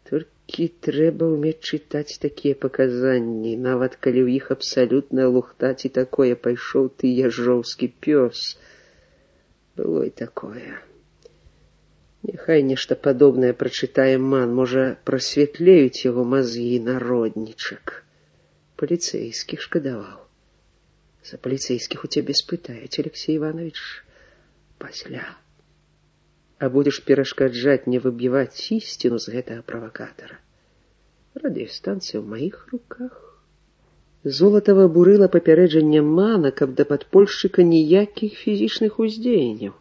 Толькі трэба ўмець чытаць такія паказанні, нават калі ў іх абсалютная лухта ці такое пайшоў ты яжоўскі пёс. Было і такое. Няхай нешта падобнае прачытае Ман, можа, прасвятлеюць яго мазгі народнічак. Паліцэйскіх шкадаваў. За паліцэйскіх у цябе спытаюць, Алексей Иванович, пасля. А будешь перашкаджаць не выбіваць ісціну з гэтага правакатара. Радыёстанцыя ў маіх руках. Золатава бурыла папярэджанне Мана, каб да падпольшчыка ніякіх фізічных уздзеянняў.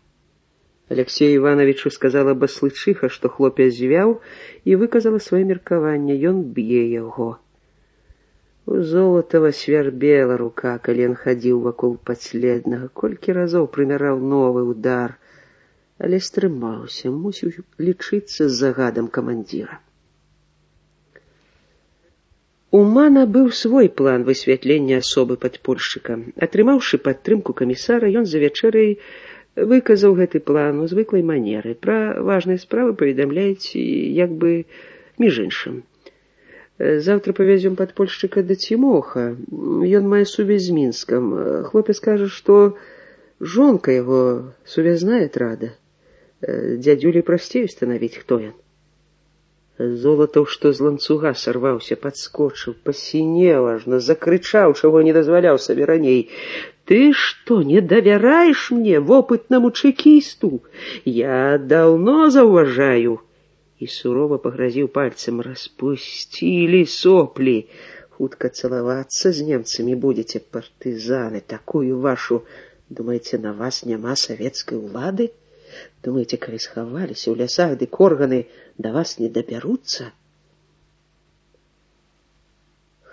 Алексею Ивановичу сказала баслычыха, што хлопец звяў, і выказала сваё меркаванне, ён б'е яго. У Золатава свярбела рука, калі ён хадзіў вакол падследнага, колькі разоў прымяраў новы удар, але стрымаўся, мусіў лічыцца з загадам камандзіра. У Мана быў свой план высвятлення асобы падпольшчыка. Атрымаўшы падтрымку камісара, ён за вячэрай выказаў гэты план у звыклай манеры. Пра важныя справы паведамляюць як бы між іншым. Завтра павязём падпольшчыка да Цімоха. Ён мае сувязь з Мінскам. Хлопец кажа, што жонка яго сувязная атрада. Дядюлі прасцей установіць, хто ён. Золатаў, што з ланцуга сарваўся, падскочыў, пасінеў ажно, закрычаў, чаго не дазваляў сабе раней. «Ты што, не давяраеш мне, вопытнаму чэкісту? Я даўно заўважаю!» І сурова пагразіў пальцем. «Распусцілі соплі! Хутка цалавацца з немцамі будзеце, партызаны, такую вашу! Думаеце, на вас няма савецкай улады? Думаеце, калі схаваліся ў лясах, дык органы да вас не дабяруцца?»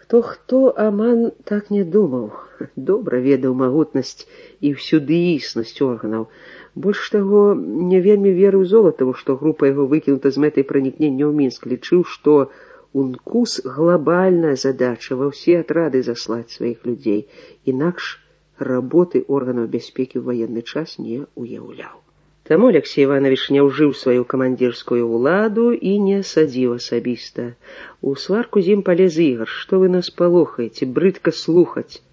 Хто-хто, а Ман так не думаў. Добра ведаў магутнасць і всюдыіснасць органаў. Больш таго, не вельмі верыў Золатаву, што група яго выкінута з мэтай пранікнення ў Мінск. Лічыў, што УНКУС глобальная задача ва ўсе атрады заслаць сваіх людзей. Інакш работы органаў бяспекі ў ваенны час не уяўляў. Таму Алексей Иванович не ўжыў сваю камандзірскую ўладу і не садзіў асабіста. У сварку з ім палез Ігар. «Што вы нас палохаеце? Брыдка слухаць.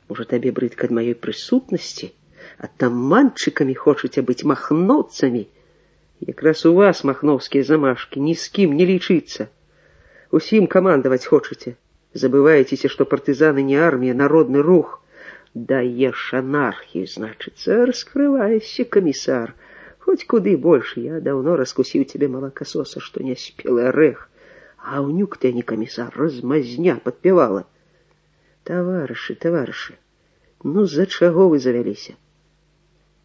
Можа, табе брыдка ад маёй прысутнасці? Атаманчыкамі хочаце быць, махноўцамі? Якраз у вас махноўскія замашкі, ні з кім не лічыцца. Усім камандаваць хочаце. Забываецеся, што партызаны не армія, народны рух. Даеш анархію, значыцца, раскрываешся, камісар. Хоць куды больш, я даўно раскусіў цябе, малакасоса, што не спелы арэх. А ўнюк ты, а не камісар, размазня падпявала. Таварышы, ну з-за чаго вы завяліся?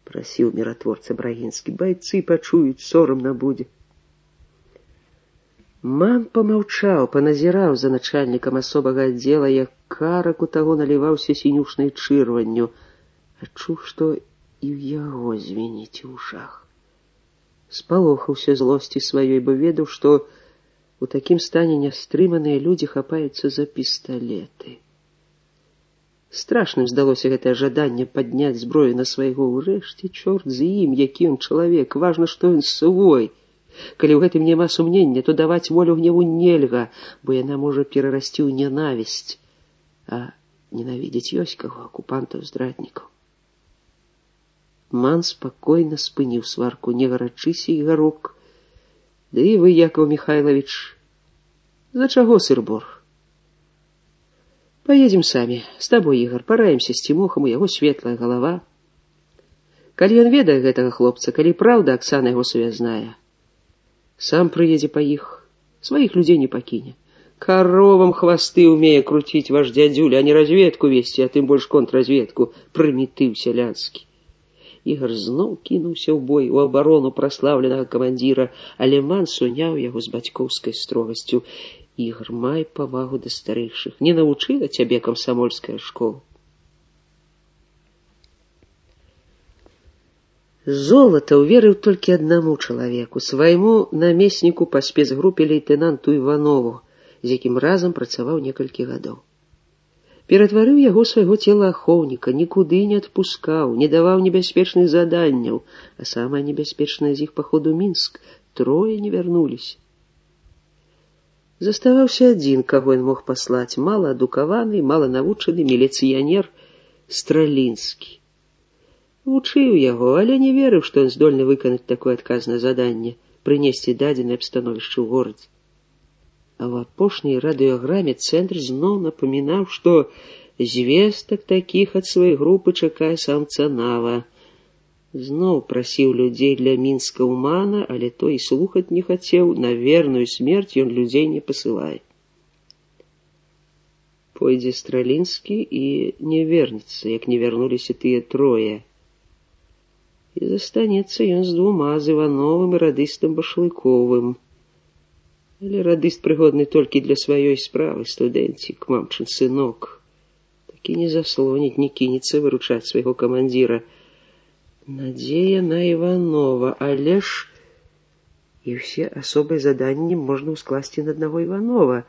Прасіў міратворца Брагінскі, байцы пачуюць, сорамна будзе. Ман памаўчаў, паназіраў за начальнікам асобага аддзела, як карак у таго наліваўся сінюшнай чырванню. Адчуў, што і ў яго звеніць у ушах. Спалохаўся злосці сваёй, бо ведаў, што у такім стане нястрыманыя людзі хапаюцца за пісталеты. Страшным здалося гэтае жаданне падняць зброю на свайго. Урэшце, чорт з ім, які ён чалавек, важна, што ён свой. Калі ў гэтым няма сумнення, то даваць волю гневу нельга, бо яна можа перарасці ў нянавісць. А ненавідзець ёсць каго, акупантаў, здраднікаў. Ман спакойна спыніў сварку. «Не гарачыся, Ігарок. Да і вы, Якаў Михайлович, за чаго сыр-бор? Поедем самі. З табой, Ігар, параемся з Цімохам, у яго светлая галава. Калі ён ведае гэтага хлопца, калі праўда Аксана яго сувязная, сам прыедзе па іх, сваіх людзей не пакіне. Коровам хвасты умее круціць ваш дядзюля, а не разведку весці, а тым больш контрразведку, прымітыў сялянскі». Ігар зноў кінуўся ў бой, у абарону праслаўленага камандзіра, але Ман суняў яго з бацькоўскай строгасцю. «Ігар, май павагу да старэйшых. Не навучыла цябе камсамольская школа?» Золатаў верыў толькі аднаму чалавеку, свайму намесніку па спецгрупе лейтэнанту Іванову, з якім разам працаваў некалькі гадоў. Ператварыў яго свайго целаахоўніка, нікуды не адпускаў, не даваў небяспечных заданняў, а самае небяспечнае з іх паход у Мінск. 3 не вярнуліся. Заставаўся адзін, каго ён мог паслаць, малаадукаваны, маланавучаны міліцыянер Стралінскі. Вучыў яго, але не верыў, што ён здольны выканаць такое адказнае заданне — прынесці дадзенае абстановішча ў горадзе. А ў апошняй радыёграме цэнтр зноў напамінаў, што звестак такіх ад сваёй групы чакае сам Цанава. Зноў прасіў людзей для Мінска ўмана, але той і слухаць не хацеў, на верную смерць ён людзей не пасылае. Пойдзе Стралінскі і не вернецца, як не вярнуліся тыя трое. І застанецца ён з двума, з Івановым і радыстам Башлыковым. Але радыст прыгодны толькі для сваёй справы, студэнцік, мамчын сынок. Такі не заслоніць, не кінецца выручаць свайго камандзіра. Надзея на Іванова, але ж і ўсе асобыя заданні можна ўскласці на аднаго Іванова.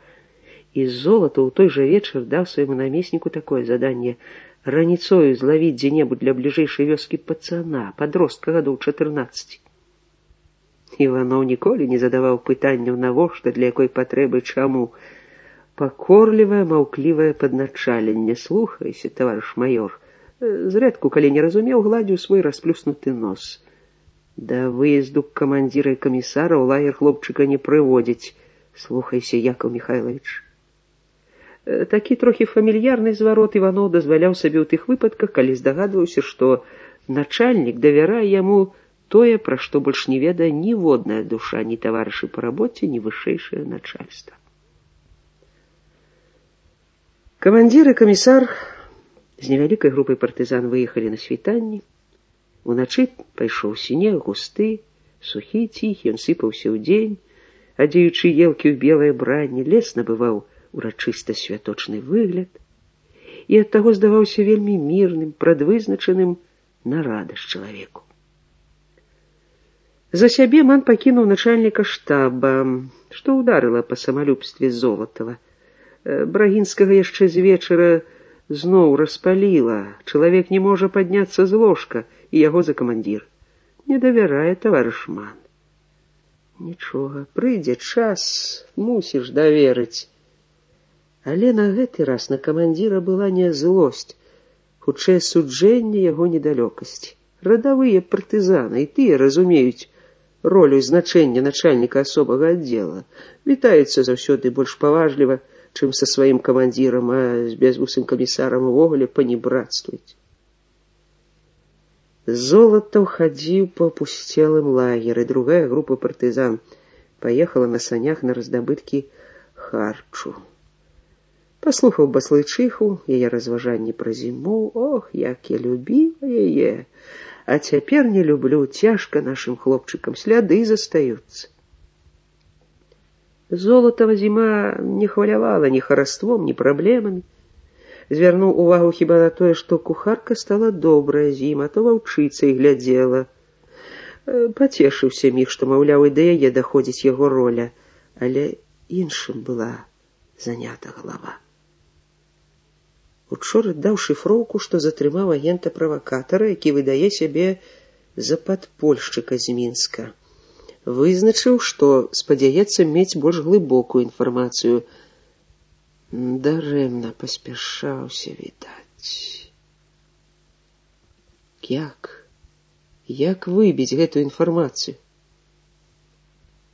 І Золатаў у той жа вечар даў свайму намесніку такое заданне — раніцою злавіць дзе-небудзь для бліжэйшай вёскі пацана, падростка гадоў 14. Іванов ніколі не задаваў пытанняў навошта, для якой патрэбы, чаму. Пакорлівае, маўклівае падначаленне. Слухайся, таварыш маёр. Зрэдку, калі не разумеў, гладзіў свой расплюснуты нос. Да выезду камандзіра і камісара ў лагер хлопчыка не прыводзіць. Слухайся, Якаў Міхайлавіч. Такі трохі фамільярны зварот Іванов дазваляў сабе ў тых выпадках, калі здагадваўся, што начальнік давярае яму тое, пра што больш не ведае ніводная душа, ні таварышы па рабоце, ні вышэйшае начальства. Камандзір і камісар з невялікай групай партызан выехалі на світанні. Уначы пайшоў снег густы, сухі, ціхі, ён сыпаўся ўдзень, адзеючы елкі ў белае бранне, лес набываў урачыста святочны выгляд і ад таго здаваўся вельмі мірным, прадвызначаным на радасць чалавеку. За сябе ман пакінуў начальніка штаба, што ўдарыла па самалюбстве Золатава. Брагінскага яшчэ з вечара зноў распаліла. Чалавек не можа падняцца з ложка, і яго за камандзір. Не давярае таварыш ман. Нічога, прыйдзе час, мусіш даверыць. Але на гэты раз на камандзіра была не злосць, хутчэй суджэнне яго недалёкасці. Радавыя партызаны, і тыя разумеюць ролю і значэнне начальніка асобага аддзела. Вітаюцца заўсёды больш паважліва, чым са сваім камандзірам, а з безвусым камісарам увогуле панібратствуюць. Золатаў хадзіў па пусцелым лагеры. Другая група партызан паехала на санях на раздабыткі харчу. Паслухаў баслычыху, яе разважанні пра зіму. Ох, як я любіла яе! А цяпер не люблю, цяжка нашым хлопчыкам, сляды застаюцца. Золатава зіма не хвалявала ні хараством, ні праблемамі. Звярнуў увагу хіба на тое, што кухарка стала добрая з ім, а то ваўчыцай глядзела. Пацешыўся міг, што, маўляў, і да яе даходзіць яго роля, але іншым была занята галава. Учора даў шыфроўку, што затрымаў агента-правакатара, які выдае сябе за падпольшчыка з Мінска. Вызначыў, што спадзяецца мець больш глыбокую інфармацыю. Дарэмна паспяшаўся, відаць. Як выбіць гэтую інфармацыю?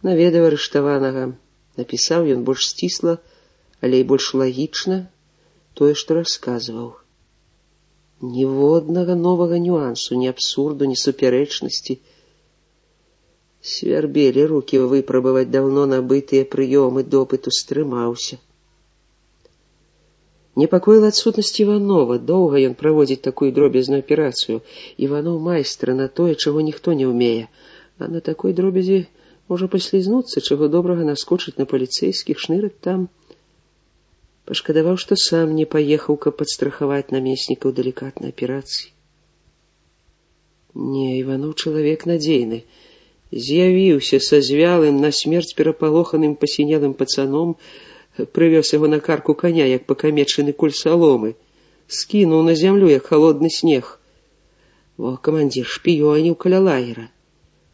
Наведаў арыштаванага. Напісаў ён больш сцісла, але і больш лагічна тое, што расказваў. Ніводнага новага нюансу, ні абсурду, ні супярэчнасці. Свярбелі рукі выпрабаваць даўно набытыя прыёмы допыту, стрымаўся. Непакоіла адсутнасць Іванова. Доўга ён праводзіць такую дробязную аперацыю. Іванов майстра на тое, чаго ніхто не ўмее. А на такой дробязі можа паслізнуцца, чаго добрага наскочыць на паліцэйскіх, шныраць там. Пашкадаваў, што сам не паехаў, каб падстрахаваць намесніка ў далікатнай аперацыі. Не, Іванов чалавек надзейны. З'явіўся са звялым, на смерць перапалоханым пасінелым пацаном, прывёз яго на карку коня, як пакамечаны куль саломы, скінуў на зямлю, як халодны снег. Камандзір шпіёніў каля лагера,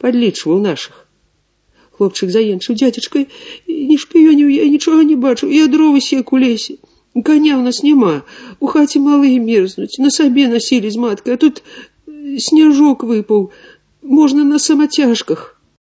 падлічваў нашых. хлопчык заенчыў. Дзядзечка, не шпіёніў, я нічога не бачу. Я дровы сек у лесе. Коня у нас няма. У хаце малые мерзнуць. На сабе насілі з маткай, а тут сняжок выпаў. Можна на самацяжках.